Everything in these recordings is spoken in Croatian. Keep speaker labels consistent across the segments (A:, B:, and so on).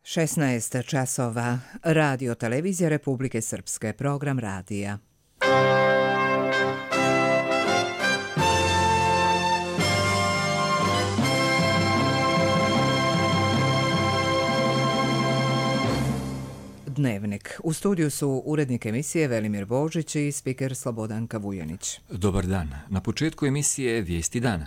A: 16 časova. Radio Televizija Republike Srpske. Program radija. Dnevnik. U studiju su urednik emisije Velimir Božić i spiker Slobodanka Vujanić.
B: Dobar dan. Na početku emisije Vijesti dana.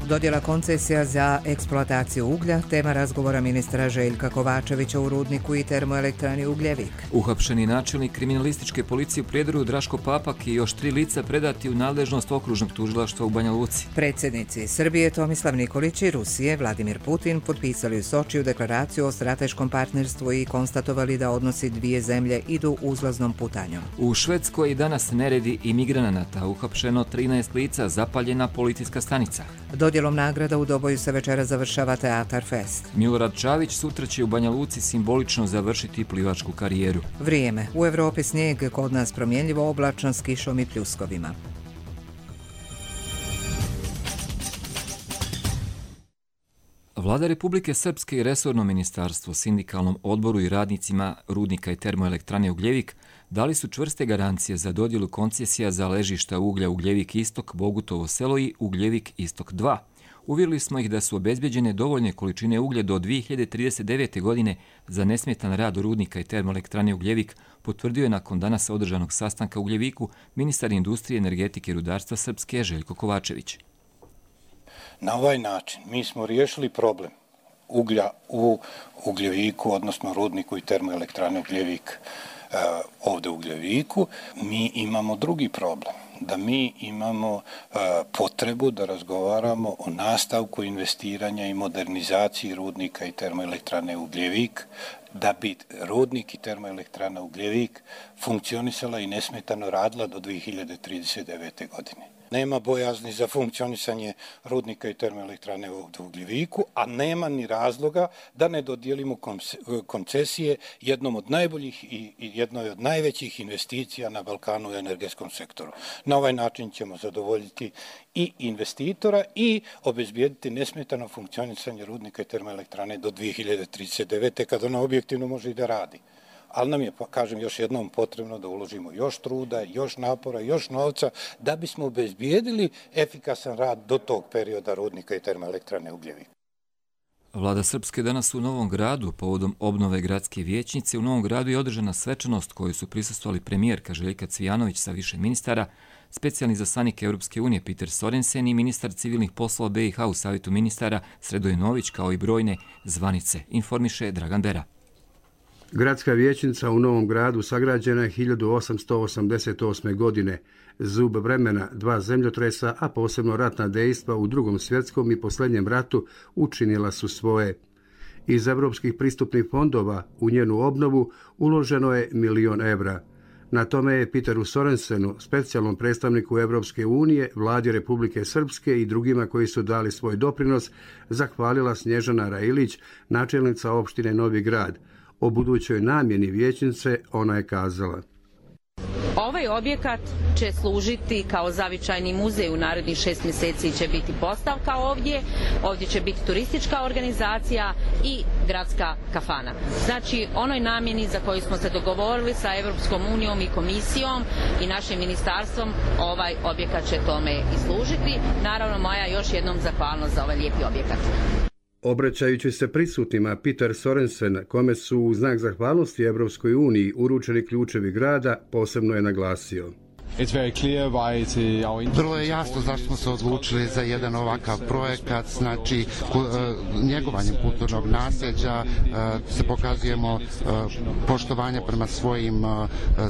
A: Dodjela koncesija za eksploataciju uglja, tema razgovora ministra Željka Kovačevića u rudniku i termoelektrani Ugljevik.
B: Uhapšeni načelnik kriminalističke policije u Prijedoru Draško Papak i još 3 lica predati u nadležnost okružnog tužilaštva u Banja Luci.
A: Predsjednici Srbije Tomislav Nikolić i Rusije Vladimir Putin potpisali u Sočiju deklaraciju o strateškom partnerstvu i konstatovali da odnosi dvije zemlje idu uzlaznom putanjom.
B: U Švedskoj danas neredi imigranata, uhapšeno 13 lica, zapaljena policijska stanica.
A: Dodjelom nagrada u Doboju se večera završava Teatar Fest.
B: Milorad Čavić sutra će u Banja Luci simbolično završiti plivačku karijeru.
A: Vrijeme. U Evropi snijeg, kod nas promjenljivo oblačno s kišom i pljuskovima.
B: Vlada Republike Srpske i resorno ministarstvo sindikalnom odboru i radnicima rudnika i termoelektrane Ugljevik dali su čvrste garancije za dodjelu koncesija za ležišta uglja Ugljevik Istok, Bogutovo selo i Ugljevik Istok 2. Uvjerili smo ih da su obezbeđene dovoljne količine uglja do 2039. godine za nesmetan rad rudnika i termoelektrane Ugljevik, potvrdio je nakon danas održanog sastanka u Ugljeviku ministar industrije, energetike i rudarstva Srpske Željko Kovačević.
C: Na ovaj način mi smo riješili problem uglja u Ugljeviku, odnosno rudniku i termoelektrane Ugljevik ovdje u Ugljeviku. Mi imamo drugi problem, da mi imamo potrebu da razgovaramo o nastavku investiranja i modernizaciji rudnika i termoelektrane Ugljevik, da bi rudnik i termoelektrana Ugljevik funkcionisala i nesmetano radila do 2039. godine. Nema bojazni za funkcionisanje rudnika i termoelektrane u Ugljeviku, a nema ni razloga da ne dodijelimo koncesije jednom od najboljih i jednoj od najvećih investicija na Balkanu u energetskom sektoru. Na ovaj način ćemo zadovoljiti i investitora i obezbijediti nesmetano funkcionisanje rudnika i termoelektrane do 2039. kada ona objektivno može i da radi. Ali nam je, kažem još jednom, potrebno da uložimo još truda, još napora, još novca da bismo obezbijedili efikasan rad do tog perioda rudnika i termoelektrane Ugljevik.
B: Vlada Srpske danas u Novom Gradu, povodom obnove gradske vijećnice, u Novom Gradu je održana svečanost koju su prisustvovali premijerka Željka Cvijanović sa više ministara, specijalni izaslanik Europske unije Peter Sorensen i ministar civilnih poslova BiH u Savjetu ministara Sredoje Nović, kao i brojne zvanice, informiše Dragan Bera.
D: Gradska vijećnica u Novom Gradu sagrađena je 1888. godine. Zub vremena, 2 zemljotresa, a posebno ratna dejstva u Drugom svjetskom i posljednjem ratu učinila su svoje. Iz evropskih pristupnih fondova u njenu obnovu uloženo je 1 milion evra. Na tome je Peteru Sorensenu, specijalnom predstavniku Evropske unije, Vladi Republike Srpske i drugima koji su dali svoj doprinos, zahvalila Snježana Railić, načelnica opštine Novi Grad. O budućoj namjeni vijećnice ona je kazala:
E: Ovaj objekat će služiti kao zavičajni muzej, u narednih 6 mjeseci će biti postavka ovdje će biti turistička organizacija i gradska kafana. Znači, onoj namjeni za koju smo se dogovorili sa Evropskom unijom i komisijom i našim ministarstvom, ovaj objekat će tome i služiti. Naravno, moja još jednom zahvalnost za ovaj lijepi objekat.
D: Obraćajući se prisutnima, Peter Sorensen, kome su u znak zahvalnosti Evropskoj uniji uručeni ključevi grada, posebno je naglasio:
F: Vrlo je jasno zašto smo se odlučili za jedan ovakav projekat, znači njegovanjem kulturnog nasljeđa se pokazujemo poštovanje prema svojim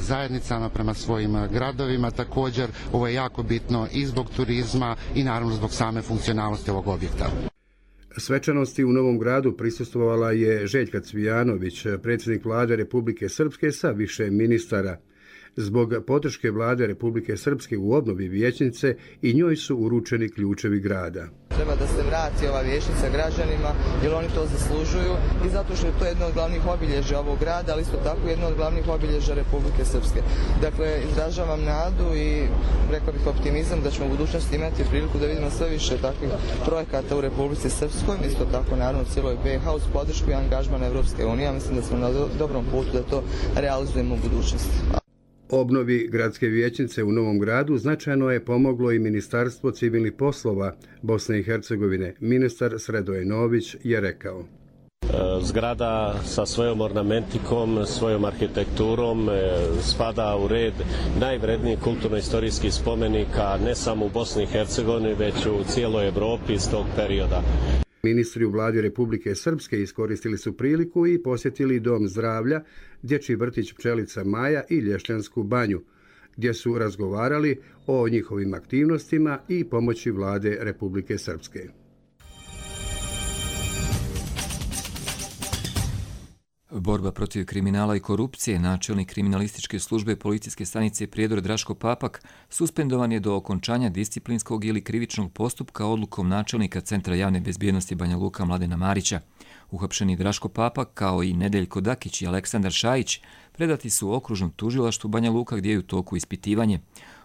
F: zajednicama, prema svojim gradovima. Također, ovo je jako bitno i zbog turizma i naravno zbog same funkcionalnosti ovog objekta.
D: Svečanosti u Novom Gradu prisustvovala je Željka Cvijanović, predsjednik Vlade Republike Srpske sa više ministara. Zbog podrške Vlade Republike Srpske u obnovi vijećnice i njoj su uručeni ključevi grada.
G: treba da se vrati ova vijećnica građanima, jer oni to zaslužuju i zato što je to jedno od glavnih obilježja ovog grada, ali isto tako jedno od glavnih obilježja Republike Srpske. Dakle, izražavam nadu i rekao bih optimizam da ćemo u budućnosti imati priliku da vidimo sve više takvih projekata u Republici Srpskoj, isto tako naravno u cijeloj BiH uz podršku i angažman Evropske unije. Mislim da smo na dobrom putu da to realizujemo u budućnosti.
D: Obnovi gradske vijećnice u Novom Gradu značajno je pomoglo i Ministarstvo civilnih poslova Bosne i Hercegovine. Ministar Sredoje Nović je rekao:
H: Zgrada sa svojom ornamentikom, svojom arhitekturom spada u red najvrednijih kulturno-istorijskih spomenika ne samo u Bosni i Hercegovini, već u cijeloj Evropi iz tog perioda.
D: Ministri u vladi Republike Srpske iskoristili su priliku i posjetili Dom zdravlja, Dječji vrtić Pčelica Maja i Lješćansku banju, gdje su razgovarali o njihovim aktivnostima i pomoći vlade Republike Srpske.
B: Borba protiv kriminala i korupcije, načelnik kriminalističke službe policijske stanice Prijedor Draško Papak suspendovan je do okončanja disciplinskog ili krivičnog postupka odlukom načelnika Centra javne bezbjednosti Banja Luka Mladena Marića. Uhapšeni Draško Papak kao i Nedeljko Dakić i Aleksandar Šajić predati su okružnom tužilaštvu Banja Luka gdje je u toku ispitivanje.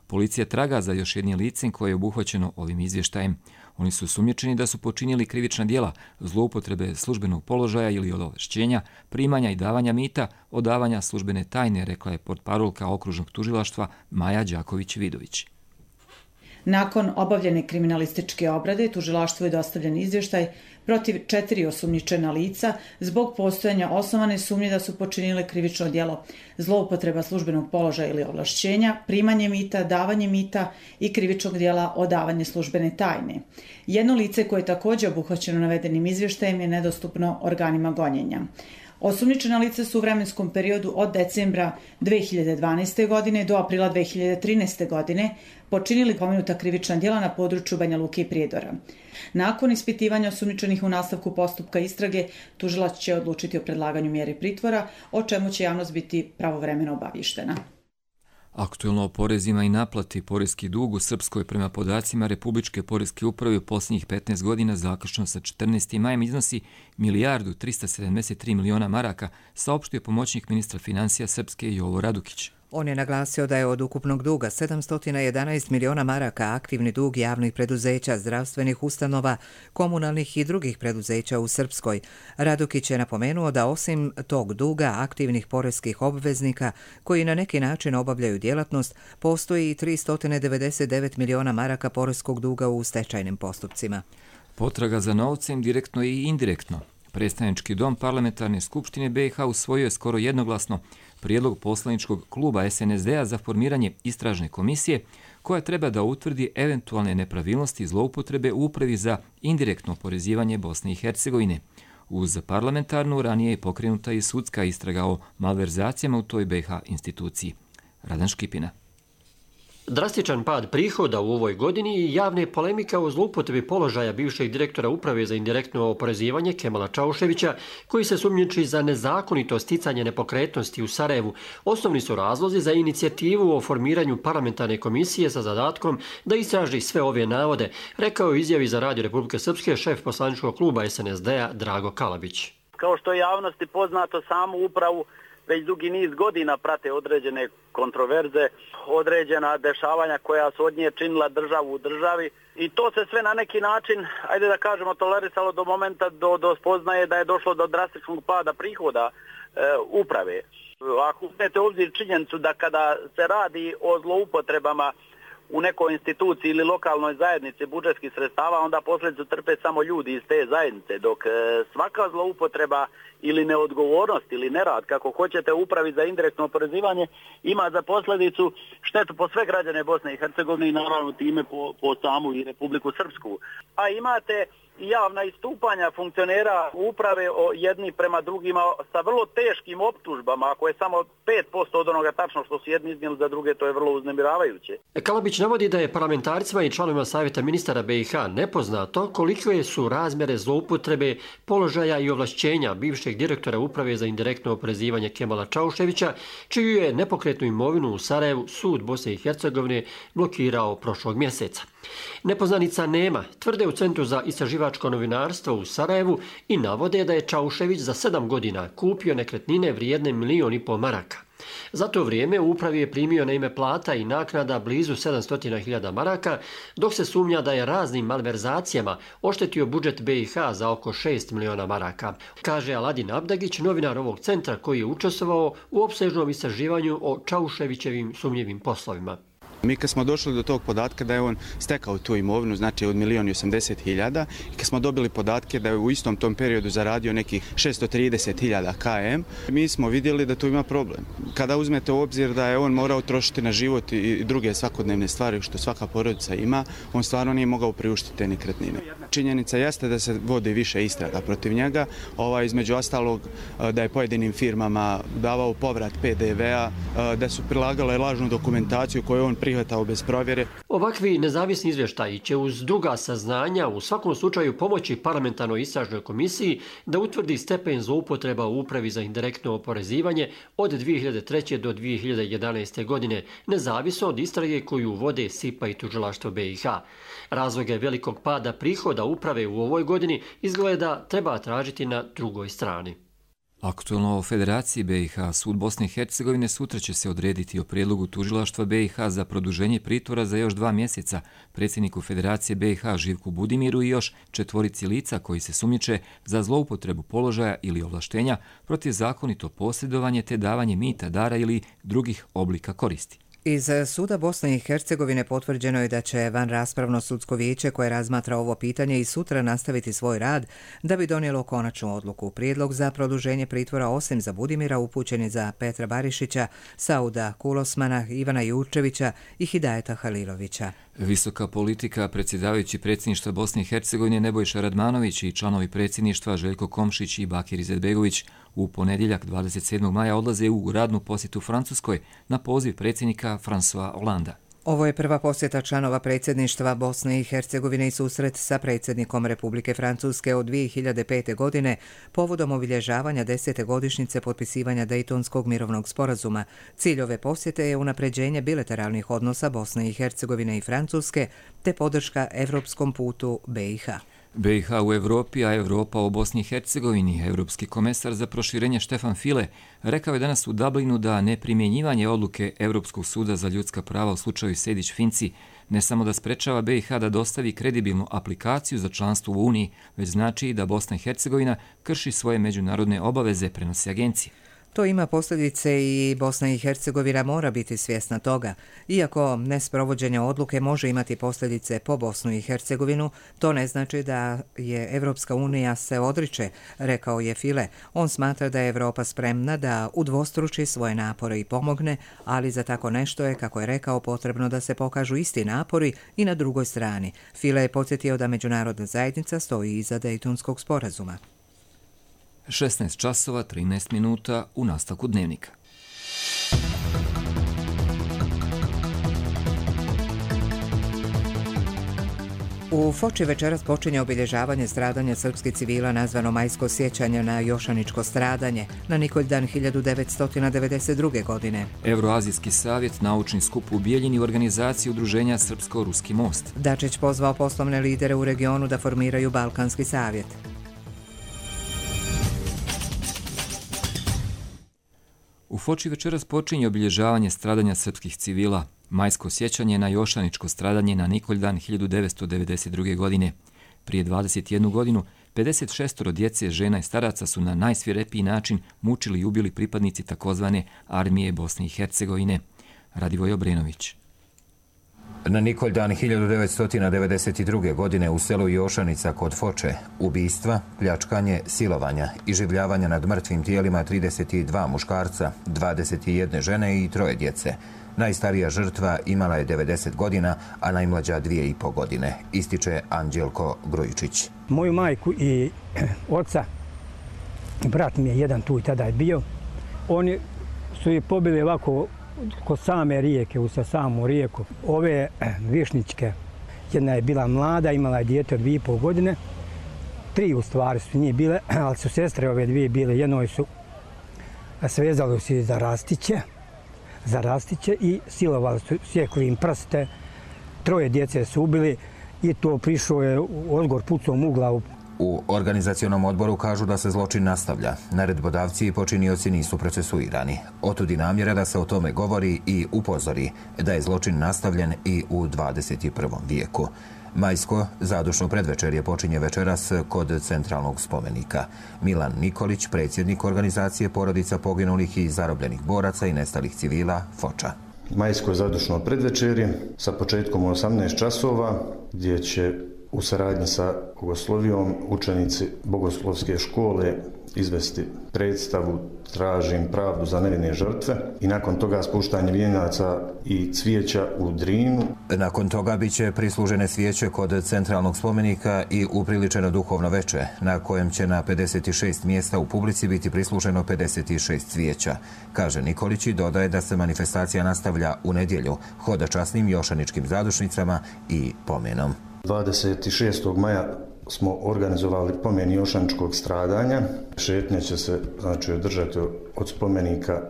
B: Policija traga za još jednim licem koje je obuhvaćeno ovim izvještajem. Oni su sumnjičeni da su počinili krivična djela, zloupotrebe službenog položaja ili ovlašćenja, primanja i davanja mita, odavanja službene tajne, rekla je portparolka okružnog tužilaštva Maja Đaković-Vidović.
I: Nakon obavljene kriminalističke obrade, tužilaštvu je dostavljen izvještaj protiv 4 osumnjičena lica zbog postojanja osnovane sumnje da su počinile krivično djelo, zloupotreba službenog položaja ili ovlašćenja, primanje mita, davanje mita i krivičnog djela odavanje službene tajne. Jedno lice koje je također obuhvaćeno navedenim izvještajem je nedostupno organima gonjenja. Osumnjičena lica su u vremenskom periodu od decembra 2012. godine do aprila 2013. godine počinili pomenuta krivična djela na području Banja Luke i Prijedora. Nakon ispitivanja osumnjičenih u nastavku postupka istrage, tužilac će odlučiti o predlaganju mjere pritvora, o čemu će javnost biti pravovremeno obavještena.
B: Aktuelno o porezima i naplati poreski dug u Srpskoj prema podacima Republičke poreske uprave u posljednjih 15 godina zaključno sa 14. majem iznosi 1.373 miliona maraka, saopštio pomoćnik ministra financija Srpske Jovo Radukić.
A: On je naglasio da je od ukupnog duga 711 miliona maraka aktivni dug javnih preduzeća, zdravstvenih ustanova, komunalnih i drugih preduzeća u Srpskoj. Radukić je napomenuo da osim tog duga aktivnih poreskih obveznika koji na neki način obavljaju djelatnost, postoji i 399 miliona maraka poreskog duga u stečajnim postupcima.
B: Potraga za novcem direktno i indirektno. Predstavnički dom Parlamentarne skupštine BiH usvojio je skoro jednoglasno prijedlog poslaničkog kluba SNSD-a za formiranje istražne komisije koja treba da utvrdi eventualne nepravilnosti i zloupotrebe u upravi za indirektno oporezivanje Bosne i Hercegovine. Uz parlamentarnu ranije je pokrenuta i sudska istraga o malverzacijama u toj BiH instituciji. Radan Škipina.
J: Drastičan pad prihoda u ovoj godini i javne polemika o zloupotrebi položaja bivšeg direktora uprave za indirektno oporezivanje Kemala Čauševića, koji se sumnjiči za nezakonito sticanje nepokretnosti u Sarajevu, osnovni su razlozi za inicijativu o formiranju parlamentarne komisije sa zadatkom da istraži sve ove navode, rekao je u izjavi za Radio Republike Srpske šef poslaničkog kluba SNSD-a Drago Kalabić.
K: Kao što je javnosti poznato, samu upravu već dugi niz godina prate određene kontroverze, određena dešavanja koja su od nje činila državu u državi i to se sve na neki način, ajde da kažemo, tolerisalo do momenta do spoznaje da je došlo do drastičnog pada prihoda uprave. Ako uzmete u obzir činjenicu da kada se radi o zloupotrebama u nekoj instituciji ili lokalnoj zajednici budžetskih sredstava, onda posljedicu trpe samo ljudi iz te zajednice, dok svaka zloupotreba ili neodgovornost ili nerad, kako hoćete, upravi za indirektno oporezivanje ima za posljedicu štetu po sve građane Bosne i Hercegovine i naravno time po samu i Republiku Srpsku. A imate i javna istupanja funkcionera uprave jedni prema drugima sa vrlo teškim optužbama, ako je samo 5% od onoga tačno što su jedni iznijeli, za druge to je vrlo uznemiravajuće.
J: Kalabić navodi da je parlamentarcima i članovima Savjeta ministara BiH nepoznato kolike su razmjere zloupotrebe položaja i ovlašćenja bivšeg direktora uprave za indirektno oporezivanje Kemala Čauševića, čiju je nepokretnu imovinu u Sarajevu sud Bosne i Hercegovine blokirao prošlog mjeseca. Nepoznanica nema, tvrde u Centru za istraživačko novinarstvo u Sarajevu i navode da je Čaušević za 7 godina kupio nekretnine vrijedne 1,5 miliona maraka. Za to vrijeme u upravi je primio na ime plata i naknada blizu 700.000 maraka, dok se sumnja da je raznim malverzacijama oštetio budžet BiH za oko 6 miliona maraka, kaže Aladin Abdagić, novinar ovog centra koji je učestvovao u opsežnom istraživanju o Čauševićevim sumnjivim poslovima.
L: Mi kad smo došli do tog podatka da je on stekao tu imovinu, znači od 1.080.000, i kad smo dobili podatke da je u istom tom periodu zaradio nekih 630.000 km, mi smo vidjeli da tu ima problem. Kada uzmete u obzir da je on morao trošiti na život i druge svakodnevne stvari što svaka porodica ima, on stvarno nije mogao priuštiti te nekretnine. Činjenica jeste da se vodi više istraga protiv njega, između ostalog da je pojedinim firmama davao povrat PDV-a, da su prilagale lažnu dokumentaciju koju on prihvatao bez provjere.
J: Ovakvi nezavisni izvještaji će uz druga saznanja u svakom slučaju pomoći parlamentarnoj istražnoj komisiji da utvrdi stepen zloupotreba u upravi za indirektno oporezivanje od 2003. do 2011. godine, nezavisno od istrage koju vode SIPA i tužilaštvo BiH. Razloge velikog pada prihoda uprave u ovoj godini izgleda treba tražiti na drugoj strani.
B: Aktualno o Federaciji BiH, sud Bosne i Hercegovine sutra će se odrediti o prijedlogu tužilaštva BiH za produženje pritvora za još 2 mjeseca predsjedniku Federacije BiH Živku Budimiru i još 4 lica koji se sumnjiče za zloupotrebu položaja ili ovlaštenja, protivzakonito posjedovanje te davanje mita, dara ili drugih oblika koristi.
A: Iz suda Bosne i Hercegovine potvrđeno je da će vanraspravno sudsko vijeće koje razmatra ovo pitanje i sutra nastaviti svoj rad da bi donijelo konačnu odluku. Prijedlog za produženje pritvora osim za Budimira upućen je za Petra Barišića, Sauda Kulosmana, Ivana Jurčevića i Hidajeta Halilovića.
B: Visoka politika, predsjedavajući predsjedništva Bosne i Hercegovine Nebojša Radmanović i članovi predsjedništva Željko Komšić i Bakir Izetbegović u ponedjeljak 27. maja odlaze u radnu posjetu Francuskoj na poziv predsjednika François Hollanda.
A: Ovo je prva posjeta članova predsjedništva Bosne i Hercegovine i susret sa predsjednikom Republike Francuske od 2005. godine povodom obilježavanja 10. godišnjice potpisivanja Dejtonskog mirovnog sporazuma. Cilj ove posjete je unapređenje bilateralnih odnosa Bosne i Hercegovine i Francuske te podrška evropskom putu BiH.
B: BiH u Evropi, a Evropa u Bosni i Hercegovini. Evropski komesar za proširenje Štefan File rekao je danas u Dublinu da neprimjenjivanje odluke Evropskog suda za ljudska prava u slučaju Sejdić-Finci ne samo da sprečava BiH da dostavi kredibilnu aplikaciju za članstvo u Uniji, već znači i da Bosna i Hercegovina krši svoje međunarodne obaveze, prenosi agencije.
A: To ima posljedice i Bosna i Hercegovina mora biti svjesna toga. Iako nesprovođenje odluke može imati posljedice po Bosnu i Hercegovinu, to ne znači da je Evropska unija se odriče, rekao je File. On smatra da je Evropa spremna da udvostruči svoje napore i pomogne, ali za tako nešto je, kako je rekao, potrebno da se pokažu isti napori i na drugoj strani. File je podsjetio da međunarodna zajednica stoji iza Dejtonskog sporazuma.
B: 16 časova 13 minuta u nastavku dnevnika.
A: U Foči večeras počinje obilježavanje stradanja srpskih civila nazvano Majsko sjećanje na Jošaničko stradanje na Nikoljdan 1992. godine.
B: Euroazijski savjet, naučni skup u Bijeljini i organizaciji udruženja Srpsko-Ruski most.
A: Dačić pozvao poslovne lidere u regionu da formiraju Balkanski savjet.
B: U Foči večeras počinje obilježavanje stradanja srpskih civila, majsko sjećanje na Jošaničko stradanje na Nikoljdan 1992. godine. Prije 21 godinu, 56 djece, žena i staraca su na najsvirepiji način mučili i ubili pripadnici takozvane armije Bosne i Hercegovine. Radivoj Obrenović.
M: Na Nikoljdan 1992. godine u selu Jošanica kod Foče ubistva, pljačkanje, silovanja i življavanja nad mrtvim tijelima 32 muškarca, 21 žene i 3 djece. Najstarija žrtva imala je 90 godina, a najmlađa 2,5 godine, ističe Anđelko Grujičić.
N: Moju majku i oca, brat mi je jedan tu i tada je bio, oni su je pobili ovako kod same rijeke, u samu rijeku. Ove višničke, jedna je bila mlada, imala je dijete od 2,5 godine, 3 u stvari su njih bile, ali su sestre ove 2 bile. Jednoj su svezali se za rastiće i silovali su, sjekli im prste, 3 djece su ubili i to prišao je Odgor pucom u glavu.
M: U organizacionom odboru kažu da se zločin nastavlja. Naredbodavci i počinioci nisu procesuirani. Otud i namjera da se o tome govori i upozori da je zločin nastavljen i u 21. vijeku. Majsko zadušno predvečerje počinje večeras kod centralnog spomenika. Milan Nikolić, predsjednik organizacije porodica poginulih i zarobljenih boraca i nestalih civila, Foča.
O: Majsko zadušno predvečerje sa početkom u 18 časova gdje će u saradnji sa Bogoslovijom učenici Bogoslovske škole izvesti predstavu Tražim pravdu za nevine žrtve i nakon toga spuštanje vijenaca i cvijeća u Drinu.
M: Nakon toga bit će prislužene svijeće kod centralnog spomenika i upriličeno duhovno veče, na kojem će na 56 mjesta u publici biti prisluženo 56 cvijeća. Kaže Nikolić i dodaje da se manifestacija nastavlja u nedjelju hodočasnim jošaničkim zadušnicama i pomenom.
O: 26. maja smo organizovali pomen jošaničkog stradanja. Šetnje će se održati od spomenika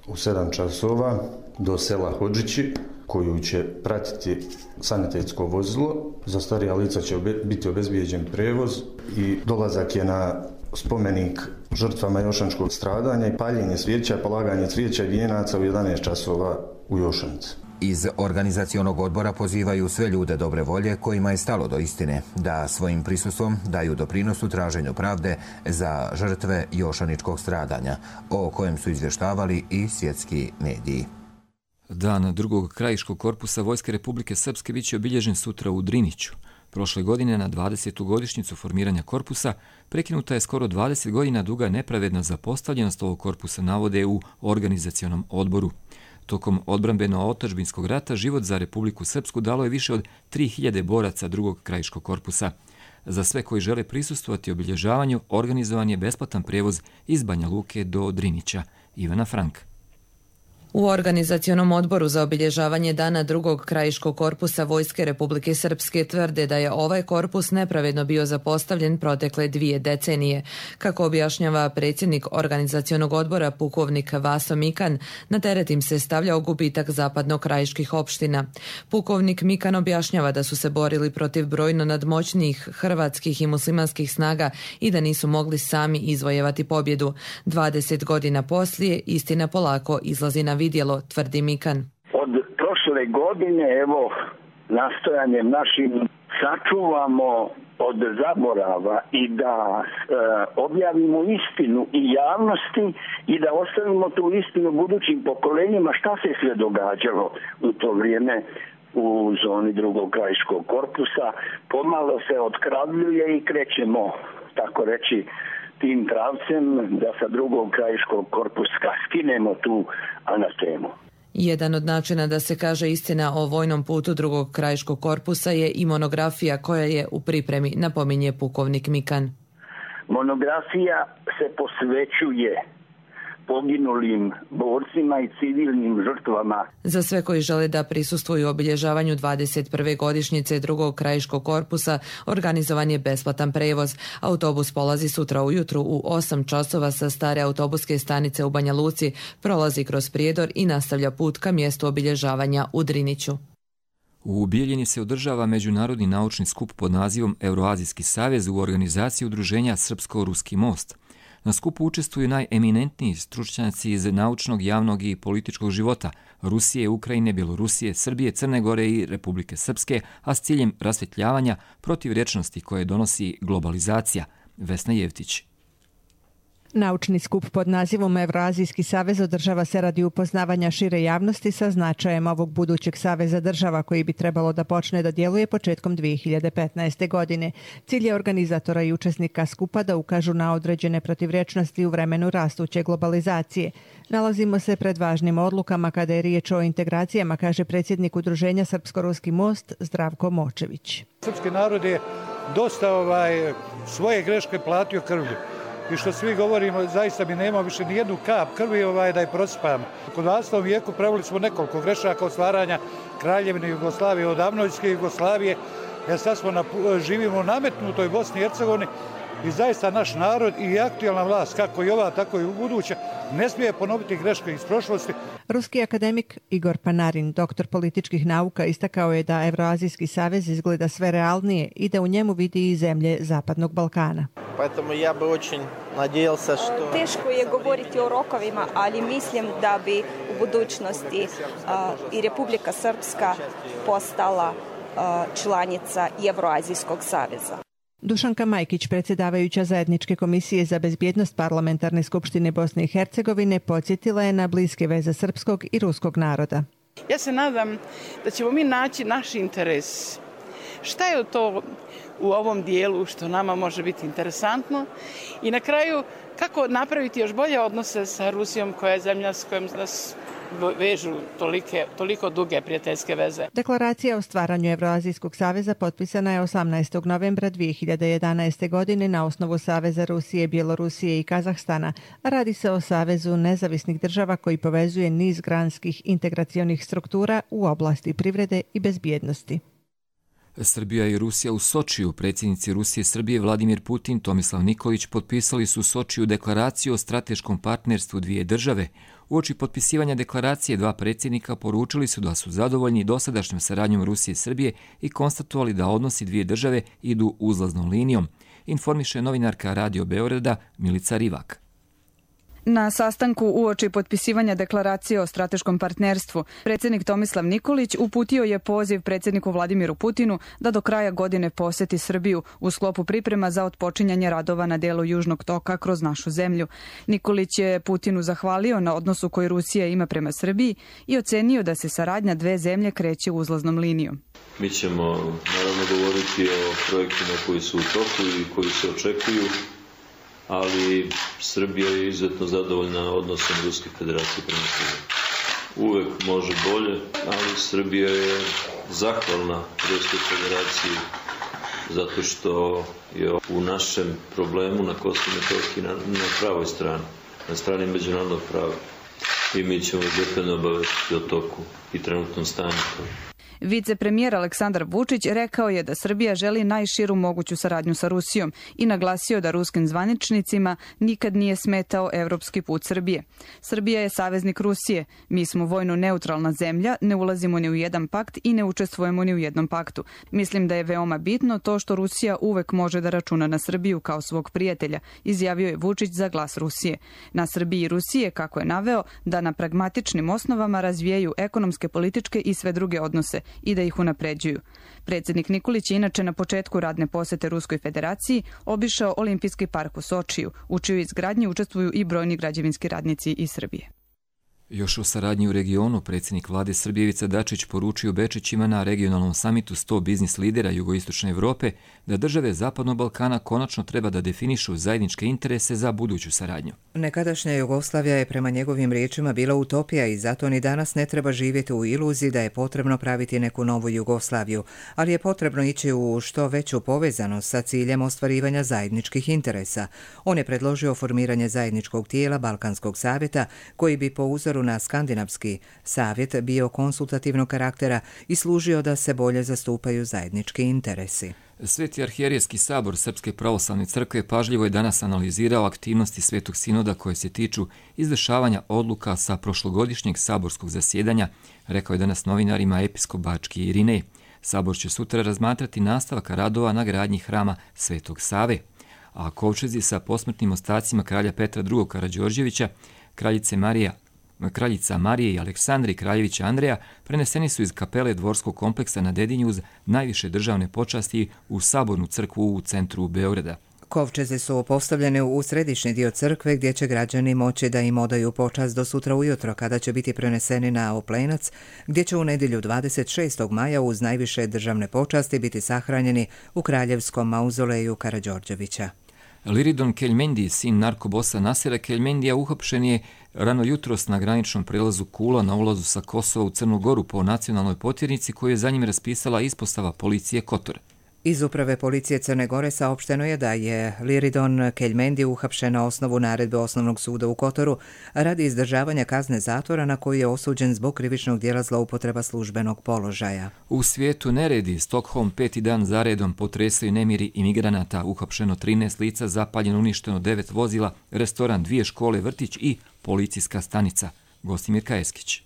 O: u 7 časova do sela Hodžići, koju će pratiti sanitetsko vozilo. Za starija lica će biti obezbijeđen prevoz i dolazak je na spomenik žrtvama jošaničkog stradanja i paljenje svijeća, polaganje cvijeća i vijenaca u 11 časova u Jošanici.
M: Iz organizacionog odbora pozivaju sve ljude dobre volje kojima je stalo do istine da svojim prisustvom daju doprinos u traženju pravde za žrtve jošaničkog stradanja, o kojem su izvještavali i svjetski mediji.
B: Dan drugog krajiškog korpusa Vojske Republike Srpske biće obilježen sutra u Driniću. Prošle godine na 20. godišnjicu formiranja korpusa prekinuta je skoro 20 godina duga nepravedna zapostavljenost ovog korpusa, navode u organizacionom odboru. Tokom odbrambeno-otadžbinskog rata život za Republiku Srpsku dalo je više od 3000 boraca drugog krajiškog korpusa. Za sve koji žele prisustvovati obilježavanju organizovan je besplatan prijevoz iz Banja Luke do Drinića. Ivana Frank.
P: U organizacionom odboru za obilježavanje dana drugog krajiškog korpusa Vojske Republike Srpske tvrde da je ovaj korpus nepravedno bio zapostavljen protekle 2 decenije. Kako objašnjava predsjednik organizacionog odbora pukovnik Vaso Mikan, na teret im se stavljao gubitak zapadno-krajiških opština. Pukovnik Mikan objašnjava da su se borili protiv brojno nadmoćnijih hrvatskih i muslimanskih snaga i da nisu mogli sami izvojevati pobjedu. 20 godina poslije istina polako izlazi na vidjelo, tvrdi Mikan.
Q: Od prošle godine, evo, nastojanjem našim sačuvamo od zaborava i da objavimo istinu i javnosti i da ostavimo tu istinu budućim pokolenjima šta se sve događalo u to vrijeme u zoni drugog krajiškog korpusa. Pomalo se otkravljuje i krećemo, tako reći, tim pravcem da sa drugog krajiškog korpusa skinemo tu anatemu.
P: Jedan od načina da se kaže istina o vojnom putu drugog krajiškog korpusa je i monografija koja je u pripremi, napominje pukovnik Mikan.
Q: Monografija se posvećuje poginulim borcima i civilnim žrtvama.
P: Za sve koji žele da prisustvuju obilježavanju 21. godišnjice drugog krajiškog korpusa organizovan je besplatan prevoz. Autobus polazi sutra ujutru u 8 časova sa stare autobuske stanice u Banja Luci, prolazi kroz Prijedor i nastavlja put ka mjestu obilježavanja u Driniću.
B: U Bijeljini se održava međunarodni naučni skup pod nazivom Euroazijski savez u organizaciji udruženja Srpsko-Ruski most. Na skupu učestvuju najeminentniji stručnjaci iz naučnog, javnog i političkog života Rusije, Ukrajine, Bjelorusije, Srbije, Crne Gore i Republike Srpske, a s ciljem rasvjetljavanja protivrječnosti koje donosi globalizacija. Vesna Jevtić.
R: Naučni skup pod nazivom Evroazijski savez održava se radi upoznavanja šire javnosti sa značajem ovog budućeg saveza država koji bi trebalo da počne da djeluje početkom 2015. godine. Cilj je organizatora i učesnika skupa da ukažu na određene protivrječnosti u vremenu rastuće globalizacije. Nalazimo se pred važnim odlukama kada je riječ o integracijama, kaže predsjednik udruženja Srpsko-Ruski most Zdravko Močević.
S: Srpski narod je dosta svoje greške platio krvlju. I što svi govorimo, zaista mi nema više ni jednu kap krvi da je prosipamo. U 20. vijeku pravili smo nekoliko grešaka od stvaranja Kraljevine Jugoslavije, od Avnojske Jugoslavije, jer sad živimo u nametnutoj Bosni i Hercegovini i zaista naš narod i aktualna vlast, kako i ova, tako i u buduće, ne smije ponoviti greške iz prošlosti.
R: Ruski akademik Igor Panarin, doktor političkih nauka, istakao je da Evroazijski savez izgleda sve realnije i da u njemu vidi i zemlje Zapadnog Balkana.
T: Teško je govoriti o rokovima, ali mislim da bi u budućnosti i Republika Srpska postala članica Evroazijskog saveza.
R: Dušanka Majkić, predsjedavajuća Zajedničke komisije za bezbjednost Parlamentarne skupštine Bosne i Hercegovine, podsjetila je na bliske veze srpskog i ruskog naroda.
U: Ja se nadam da ćemo mi naći naš interes. Šta je to u ovom dijelu što nama može biti interesantno? I na kraju, kako napraviti još bolje odnose sa Rusijom, koja je zemlja s kojom nas vežu toliko duge prijateljske veze.
R: Deklaracija o stvaranju Evroazijskog saveza potpisana je 18. novembra 2011. godine na osnovu Saveza Rusije, Bjelorusije i Kazahstana. Radi se o savezu nezavisnih država koji povezuje niz granskih integracionih struktura u oblasti privrede i bezbjednosti.
B: Srbija i Rusija u Sočiju. Predsjednici Rusije, Srbije Vladimir Putin, Tomislav Nikolić potpisali su u Sočiju deklaraciju o strateškom partnerstvu dvije države. Uoči potpisivanja deklaracije dva predsjednika poručili su da su zadovoljni dosadašnjom saradnjom Rusije i Srbije i konstatovali da odnosi dvije države idu uzlaznom linijom, informiše novinarka Radio Beograda Milica Rivak.
V: Na sastanku uoči potpisivanja deklaracije o strateškom partnerstvu, predsjednik Tomislav Nikolić uputio je poziv predsjedniku Vladimiru Putinu da do kraja godine posjeti Srbiju u sklopu priprema za otpočinjanje radova na delu Južnog toka kroz našu zemlju. Nikolić je Putinu zahvalio na odnosu koji Rusija ima prema Srbiji i ocenio da se saradnja dve zemlje kreće uzlaznom linijom.
W: Mi ćemo naravno govoriti o projektima koji su u toku i koji se očekuju, ali Srbija je izuzetno zadovoljna odnosom Ruske federacije prema Srbiji. Uvek može bolje, ali Srbija je zahvalna Ruskoj federaciji zato što je u našem problemu na Kosovu i Metohiji na pravoj strani, na strani međunarodnog prava. I mi ćemo detaljno obavestiti o toku i trenutnom stanju.
V: Vicepremijer Aleksandar Vučić rekao je da Srbija želi najširu moguću saradnju sa Rusijom i naglasio da ruskim zvaničnicima nikad nije smetao evropski put Srbije. Srbija je saveznik Rusije. Mi smo vojno neutralna zemlja, ne ulazimo ni u jedan pakt i ne učestvujemo ni u jednom paktu. Mislim da je veoma bitno to što Rusija uvek može da računa na Srbiju kao svog prijatelja, izjavio je Vučić za Glas Rusije. Na Srbiji i Rusije, kako je naveo, da na pragmatičnim osnovama razvijaju ekonomske, političke i sve druge odnose i da ih unapređuju. Predsjednik Nikolić je inače na početku radne posete Ruskoj federaciji obišao Olimpijski park u Sočiju, u čijoj izgradnji učestvuju i brojni građevinski radnici iz Srbije.
B: Još o saradnji u regionu, predsjednik vlade Srbije Ivica Dačić poručio Bečićima na regionalnom samitu 100 biznis lidera jugoistočne Evrope da države Zapadnog Balkana konačno treba da definišu zajedničke interese za buduću saradnju.
A: Nekadašnja Jugoslavija je prema njegovim riječima bila utopija i zato ni danas ne treba živjeti u iluziji da je potrebno praviti neku novu Jugoslaviju, ali je potrebno ići u što veću povezanost sa ciljem ostvarivanja zajedničkih interesa. On je predložio formiranje zajedničkog tijela Balkanskog savjeta koji bi po uzoru na Skandinavski savjet bio konsultativnog karaktera i služio da se bolje zastupaju zajednički interesi.
B: Sveti arhijerijski sabor Srpske pravoslavne crkve pažljivo je danas analizirao aktivnosti Svetog sinoda koje se tiču izvršavanja odluka sa prošlogodišnjeg saborskog zasjedanja, rekao je danas novinarima episkop Bački Irinej. Sabor će sutra razmatrati nastavak radova na gradnji hrama Svetog Save, a kovčezi sa posmrtnim ostacima kralja Petra II. Karađorđevića, kraljica Marije i Aleksandri kraljevića Andreja preneseni su iz kapele dvorskog kompleksa na Dedinju uz najviše državne počasti u Sabornu crkvu u centru Beograda.
A: Kovčeze su postavljene u središnji dio crkve gdje će građani moći da im odaju počast do sutra ujutro kada će biti preneseni na Oplenac, gdje će u nedjelju 26. maja uz najviše državne počasti biti sahranjeni u kraljevskom mauzoleju Karađorđevića.
B: Liridon Keljmendi, sin narkobosa Nasera Keljmendija, uhapšen je rano jutros na graničnom prelazu Kula na ulazu sa Kosova u Crnu Goru po nacionalnoj potjernici koju je za njim raspisala ispostava policije Kotor.
A: Iz uprave policije Crne Gore saopšteno je da je Liridon Keljmendi uhapšen na osnovu naredbe Osnovnog suda u Kotoru radi izdržavanja kazne zatvora na koju je osuđen zbog krivičnog djela zloupotreba službenog položaja.
B: U svijetu neredi, Stockholm 5. dan zaredom potresaju nemiri imigranata, uhapšeno 13 lica, zapaljeno uništeno 9 vozila, restoran, 2 škole, vrtić i policijska stanica. Gostimir Kajeskić.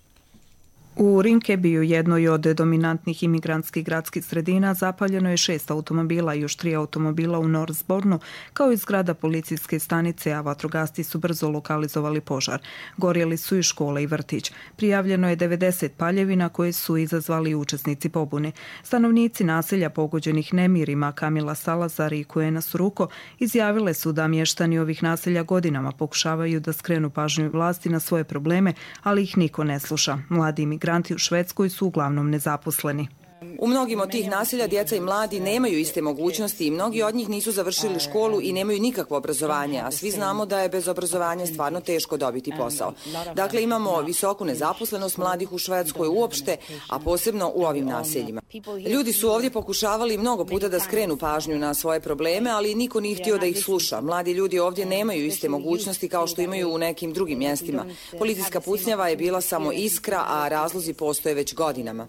V: U Rinkebiju, jednoj od dominantnih imigrantskih gradskih sredina, zapaljeno je 6 automobila i još 3 automobila u Northbournu, kao i zgrada policijske stanice, a vatrogasci su brzo lokalizovali požar. Gorjeli su i škole i vrtić. Prijavljeno je 90 paljevina koje su izazvali učesnici pobune. Stanovnici naselja pogođenih nemirima Kamila Salazar i Kuena Suruko izjavile su da mještani ovih naselja godinama pokušavaju da skrenu pažnju vlasti na svoje probleme, ali ih niko ne sluša. Mladi imigranti u Švedskoj su uglavnom nezaposleni.
C: U mnogim od tih naselja djeca i mladi nemaju iste mogućnosti i mnogi od njih nisu završili školu i nemaju nikakvo obrazovanje, a svi znamo da je bez obrazovanja stvarno teško dobiti posao. Dakle, imamo visoku nezaposlenost mladih u Švedskoj uopšte, a posebno u ovim naseljima. Ljudi su ovdje pokušavali mnogo puta da skrenu pažnju na svoje probleme, ali niko nije htio da ih sluša. Mladi ljudi ovdje nemaju iste mogućnosti kao što imaju u nekim drugim mjestima. Policijska pucnjava je bila samo iskra, a razlozi postoje već godinama.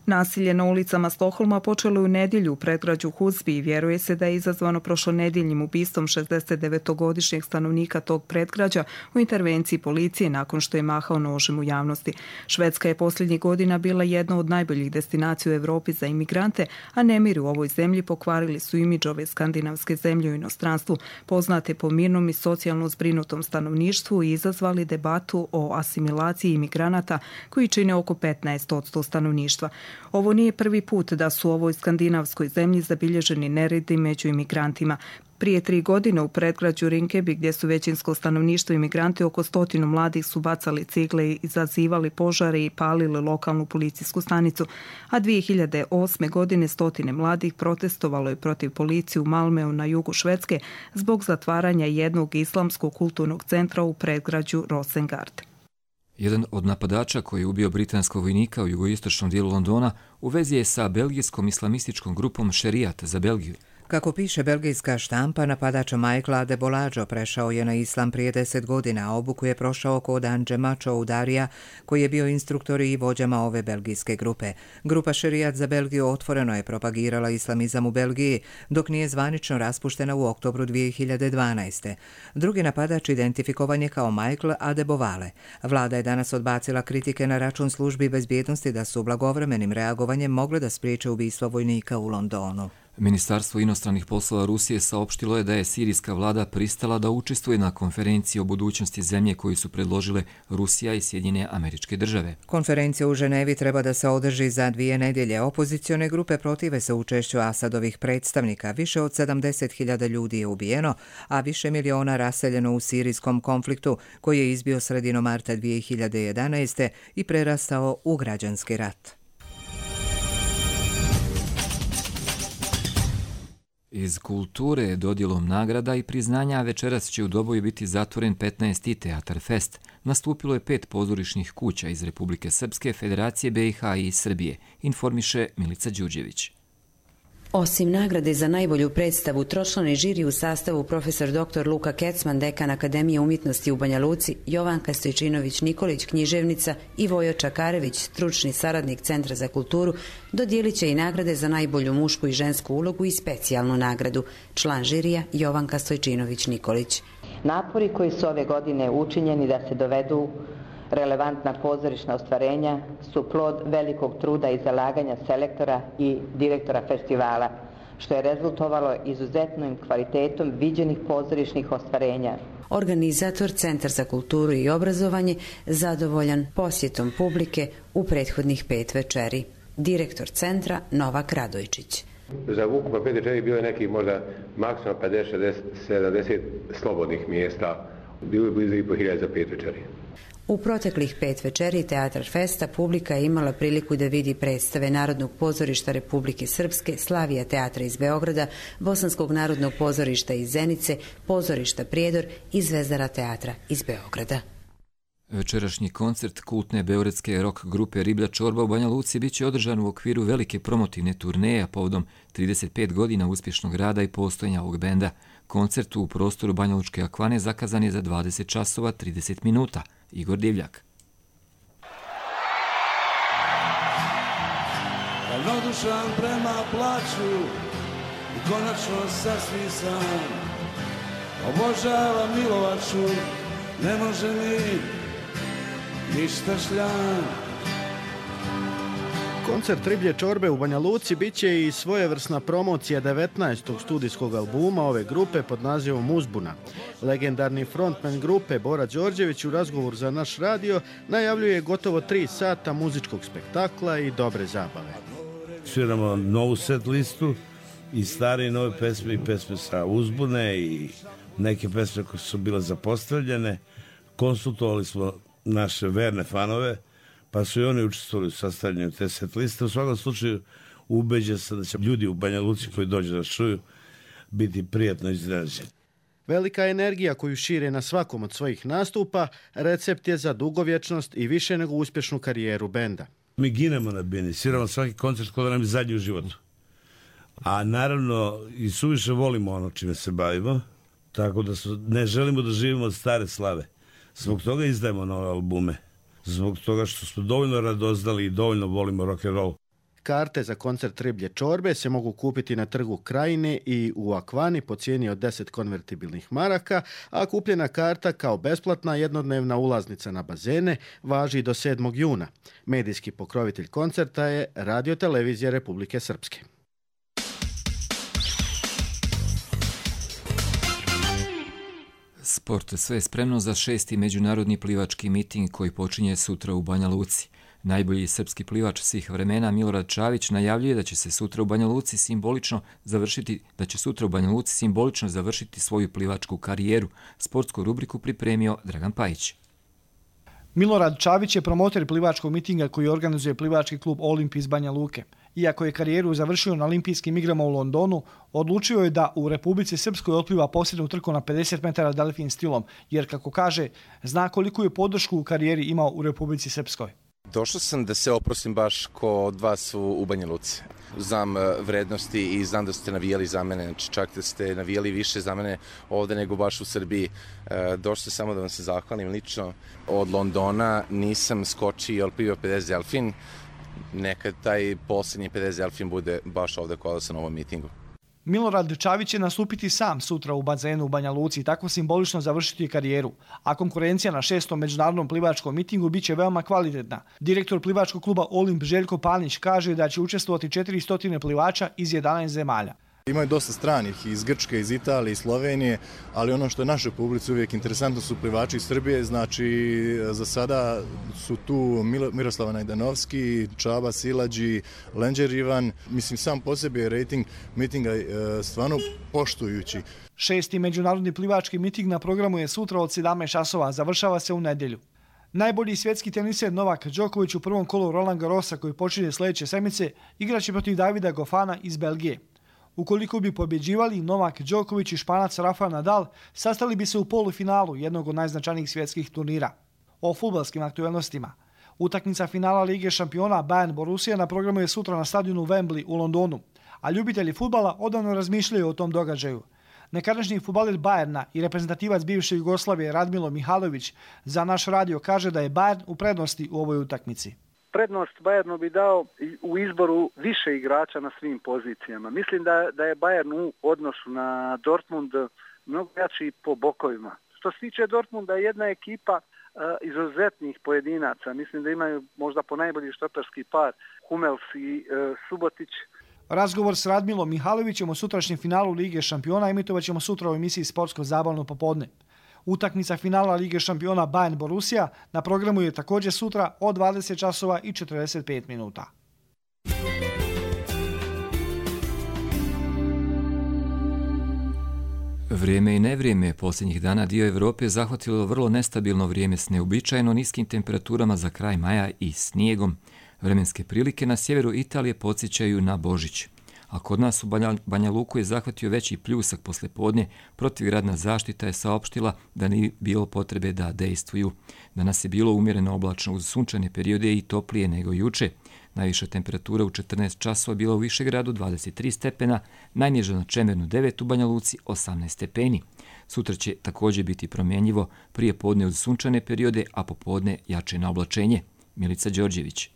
V: Nasilje na ulicama Stokholma počelo u nedjelju u predgrađu Husby i vjeruje se da je izazvano prošlonedjeljnim ubistvom 69-godišnjeg stanovnika tog predgrađa u intervenciji policije nakon što je mahao nožem u javnosti. Švedska je posljednjih godina bila jedna od najboljih destinacija u Europi za imigrante, a nemiri u ovoj zemlji pokvarili su imidž ove skandinavske zemlje u inostranstvu, poznate po mirnom i socijalno zbrinutom stanovništvu i izazvali debatu o asimilaciji imigranata koji čine oko 15% stanovništva. Ovo nije prvi put da su u ovoj skandinavskoj zemlji zabilježeni neredi među imigrantima. Prije 3 godine u predgrađu Rinkeby, gdje su većinsko stanovništvo imigranti, oko 100 mladih su bacali cigle i izazivali požare i palili lokalnu policijsku stanicu, a 2008. godine 100 mladih protestovalo je protiv policije u Malmeu na jugu Švedske zbog zatvaranja jednog islamskog kulturnog centra u predgrađu Rosengard.
B: Jedan od napadača koji je ubio britanskog vojnika u jugoistočnom dijelu Londona u vezi je sa belgijskom islamističkom grupom Šerijat za Belgiju.
A: Kako piše belgijska štampa, napadač Michael Adebolađo prešao je na islam prije 10 godina, a obuku je prošao kod Andžema Čoudarija, koji je bio instruktor i vođama ove belgijske grupe. Grupa Šerijat za Belgiju otvoreno je propagirala islamizam u Belgiji, dok nije zvanično raspuštena u oktobru 2012. Drugi napadač identifikovan je kao Michael Adebovale. Vlada je danas odbacila kritike na račun službi bezbjednosti da su blagovremenim reagovanjem mogle da spriječe ubistvo vojnika u Londonu.
B: Ministarstvo inostranih poslova Rusije saopštilo je da je sirijska vlada pristala da učestvuje na konferenciji o budućnosti zemlje koju su predložile Rusija i Sjedinjene Američke Države.
A: Konferencija u Ženevi treba da se održi za 2 nedjelje. Opozicione grupe protive se učešću Asadovih predstavnika. Više od 70.000 ljudi je ubijeno, a više miliona raseljeno u sirijskom konfliktu koji je izbio sredinom marta 2011. i prerastao u građanski rat.
B: Iz kulture, dodjelom nagrada i priznanja večeras će u Doboju biti zatvoren 15. Teatar Fest. Nastupilo je 5 pozorišnih kuća iz Republike Srpske, Federacije BiH i Srbije, informiše Milica Đurđević.
E: Osim nagrade za najbolju predstavu, tročlani žiri u sastavu profesor dr. Luka Kecman, dekan Akademije umjetnosti u Banja Luci, Jovanka Stojčinović-Nikolić, književnica i Vojo Čakarević, stručni saradnik Centra za kulturu, dodijelit će i nagrade za najbolju mušku i žensku ulogu i specijalnu nagradu. Član žirija Jovanka Stojčinović-Nikolić.
F: Napori koji su ove godine učinjeni da se dovedu relevantna pozorišna ostvarenja su plod velikog truda i zalaganja selektora i direktora festivala, što je rezultovalo izuzetnim kvalitetom viđenih pozorišnih ostvarenja.
E: Organizator Centar za kulturu i obrazovanje zadovoljan posjetom publike u prethodnih 5 večeri. Direktor centra Novak Radojčić.
X: Za ukupno 5 večeri bilo je nekih možda maksimalno 50, 60, 70 slobodnih mjesta. Bilo je blizu 5.000 za 5 večeri.
E: U proteklih 5 večeri Teatar Festa publika je imala priliku da vidi predstave Narodnog pozorišta Republike Srpske, Slavija teatra iz Beograda, Bosanskog narodnog pozorišta iz Zenice, pozorišta Prijedor i Zvezdara teatra iz Beograda.
B: Večerašnji koncert kultne beogradske rock grupe Riblja čorba u Banja Luci biće održan u okviru velike promotivne turneje povodom 35 godina uspješnog rada i postojanja ovog benda. Koncert u prostoru Banja Lučke akvane zakazan je za 20 časova 30 minuta. Igor Divljak.
D: Ravnodušan prema plaću i konačno sasvim sam obožavam Milovaču, ne može mi ništa šljam.
G: Koncert Riblje čorbe u Banja Luci biće i svojevrsna promocija 19. studijskog albuma ove grupe pod nazivom Uzbuna. Legendarni frontman grupe Bora Đorđević u razgovoru za naš radio najavljuje gotovo 3 sata muzičkog spektakla i dobre zabave.
D: Sviramo novu set listu i stare i nove pesme i pesme sa Uzbune i neke pesme koje su bile zapostavljene. Konsultovali smo naše verne fanove, pa su i oni učestvovali u sastavljanju te set liste. U svakom slučaju ubeđen sam da će ljudi u Banja Luci koji dođu da čuju biti prijatno iznenađeni.
G: Velika energija koju šire na svakom od svojih nastupa recept je za dugovječnost i više nego uspješnu karijeru benda.
D: Mi ginemo na bini, sviramo svaki koncert kod nam je zadnji u životu. A naravno i suviše volimo ono čime se bavimo, tako da ne želimo da živimo od stare slave. Zbog toga izdajemo nove albume. Zbog toga što smo dovoljno radoznali i dovoljno volimo rock'n'roll.
G: Karte za koncert Riblje čorbe se mogu kupiti na trgu Krajine i u Akvani po cijeni od 10 konvertibilnih maraka, a kupljena karta kao besplatna jednodnevna ulaznica na bazene važi do 7. juna. Medijski pokrovitelj koncerta je Radio-televizija Republike Srpske.
B: Sport, sve je spremno za 6. međunarodni plivački miting koji počinje sutra u Banja Luci. Najbolji srpski plivač svih vremena Milorad Čavić najavljuje da će sutra u Banja Luci simbolično završiti svoju plivačku karijeru. Sportsku rubriku pripremio Dragan Pajić.
H: Milorad Čavić je promoter plivačkog mitinga koji organizuje plivački klub Olimpij iz Banja Luke. Iako je karijeru završio na olimpijskim igrama u Londonu, odlučio je da u Republici Srpskoj otpliva posljednju trku na 50 metara delfin stilom, jer, kako kaže, zna koliku je podršku u karijeri imao u Republici Srpskoj.
I: Došao sam da se oprostim baš kod vas u Banja Luci. Znam vrednosti i znam da ste navijali za mene, znači čak da ste navijali više za mene ovdje nego baš u Srbiji. Došao sam samo da vam se zahvalim lično. Od Londona nisam skočio i otplivao 50 delfin. Neka taj posljednji 50 delfin bude baš ovdje kod sam na ovom mitingu.
H: Milorad Čavić će nastupiti sam sutra u bazenu u Banja Luci i tako simbolično završiti karijeru, a konkurencija na 6. međunarodnom plivačkom mitingu biće veoma kvalitetna. Direktor plivačkog kluba Olimp Željko Panić kaže da će učestvovati 400 plivača iz 11 zemalja.
Y: Imaju dosta stranih iz Grčke, iz Italije, iz Slovenije, ali ono što je našoj publici uvijek interesantno su plivači iz Srbije, znači za sada su tu Miroslava Najdanovski, Čaba Silađi, Lenđer Ivan. Mislim, sam po sebi je rating mitinga stvarno poštujući.
H: 6. međunarodni plivački miting na programu je sutra od 17 časova, završava se u nedjelju. Najbolji svjetski teniser Novak Đoković u prvom kolu Roland Garrosa koji počinje sljedeće sedmice igraće protiv Davida Gofana iz Belgije. Ukoliko bi pobjeđivali, Novak Đoković i Španac Rafael Nadal sastali bi se u polufinalu jednog od najznačajnijih svjetskih turnira. O fudbalskim aktualnostima. Utakmica finala Lige šampiona Bayern Borussia na programu je sutra na stadionu Wembley u Londonu, a ljubitelji fudbala odavno razmišljaju o tom događaju. Nekadašnji fudbaler Bayerna i reprezentativac bivše Jugoslavije Radmilo Mihalović za naš radio kaže da je Bayern u prednosti u ovoj utakmici.
Z: Prednost Bayernu bi dao u izboru više igrača na svim pozicijama. Mislim da je Bayern u odnosu na Dortmund mnogo jači po bokovima. Što se tiče Dortmunda, jedna ekipa izuzetnih pojedinaca. Mislim da imaju možda po najbolji štoperski par Hummels i Subotić.
H: Razgovor s Radmilom Mihalovićem o sutrašnjem finalu Lige šampiona emitovat ćemo sutra u emisiji Sportsko zabavno popodne. Utakmica finala Lige šampiona Bayern Borussia na programu je također sutra od 20 časova i 45 minuta.
B: Vrijeme i nevrijeme posljednjih dana dio Evrope je zahvatilo vrlo nestabilno vrijeme s neuobičajeno niskim temperaturama za kraj maja i snijegom. Vremenske prilike na sjeveru Italije podsjećaju na Božić. a kod nas u Banja Luku je zahvatio veći pljusak poslijepodne. Protivgradna zaštita je saopštila da nije bilo potrebe da dejstvuju. Danas je bilo umjereno oblačno uz sunčane periode i toplije nego juče. Najviša temperatura u 14 časova bila u Višegradu 23 stepena, najniža na Čemernu 9, u Banja Luci 18 stepeni. Sutra će također biti promjenjivo, prije podne uz sunčane periode, a popodne jače na oblačenje. Milica Đorđević.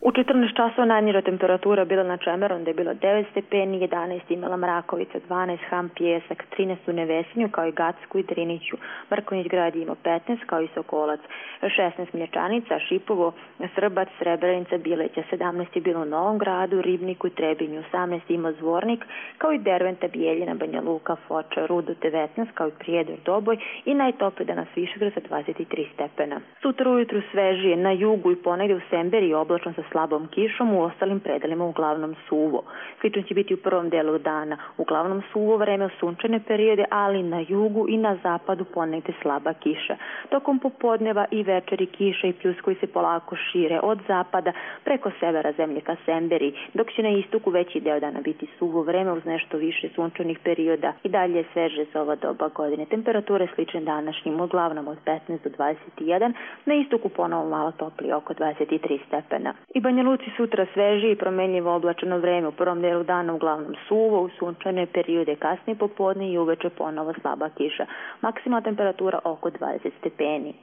J: U 14 časova najniža temperatura bila na Čemeru, onda je bilo 9 stepeni, 11 imala Mrakovica, 12 Ham, Pijesak, 13 u Nevesinju, kao i Gacku i Driniću. Mrkonjić grad je imao 15, kao i Sokolac, 16 Mlječanica, Šipovo, Srbac, Srebrenica, Bileća, 17 je bilo u Novom Gradu, Ribniku i Trebinju, 18 imao Zvornik, kao i Derventa, Bijeljina, Banja Luka, Foča, Rudo, 19, kao i Prijedor, Doboj i najtoplije danas Višegrad sa 23 stepena. Sutra ujutru svežije, na jugu i ponegdje u Semberi i oblačno sa slabom kišom, u ostalim predelima uglavnom suvo. Slično će biti u prvom delu dana. Uglavnom suvo vreme u sunčane periode, ali na jugu i na zapadu ponegde slaba kiša. Tokom popodneva i večeri kiša i pljuskovi se polako šire od zapada preko severa zemlje ka Semberi, dok će na istoku veći deo dana biti suvo vreme uz nešto više sunčanih perioda i dalje je sveže za ova doba godine. Temperature slične današnjim, uglavnom od 15 do 21, na istoku ponovo malo toplije, oko 23 stepena. I Banja Luci sutra sveži i promenljivo oblačeno vreme, u prvom delu dana uglavnom suvo, u sunčane periode kasnije popodne i uveče ponovo slaba kiša. Maksimalna temperatura oko 20 stepeni.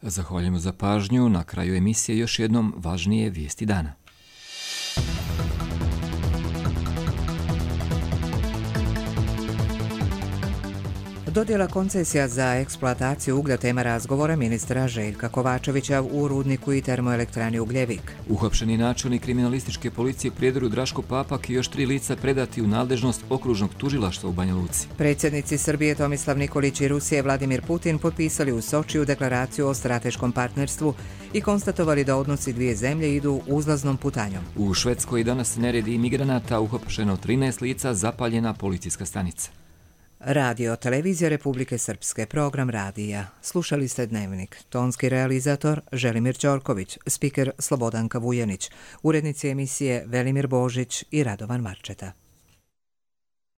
B: Zahvaljujemo za pažnju. Na kraju emisije još jednom važnije vijesti dana.
A: Dodjela koncesija za eksploataciju uglja tema razgovora ministra Željka Kovačevića u rudniku i termoelektrani Ugljevik.
B: Uhapšeni načelnik kriminalističke policije u Prijedoru Draško Papak i još 3 lica predati u nadležnost okružnog tužilaštva u Banja Luci.
A: Predsjednici Srbije Tomislav Nikolić i Rusije Vladimir Putin potpisali u Sočiju deklaraciju o strateškom partnerstvu i konstatovali da odnosi dvije zemlje idu uzlaznom putanjom.
B: U Švedskoj danas neredi imigranata, uhapšeno 13 lica, zapaljena policijska stanica.
A: Radio Televizija Republike Srpske, program radija. Slušali ste Dnevnik. Tonski realizator Želimir Ćorković, spiker Slobodanka Vujanić, urednici emisije Velimir Božić i Radovan Marčeta.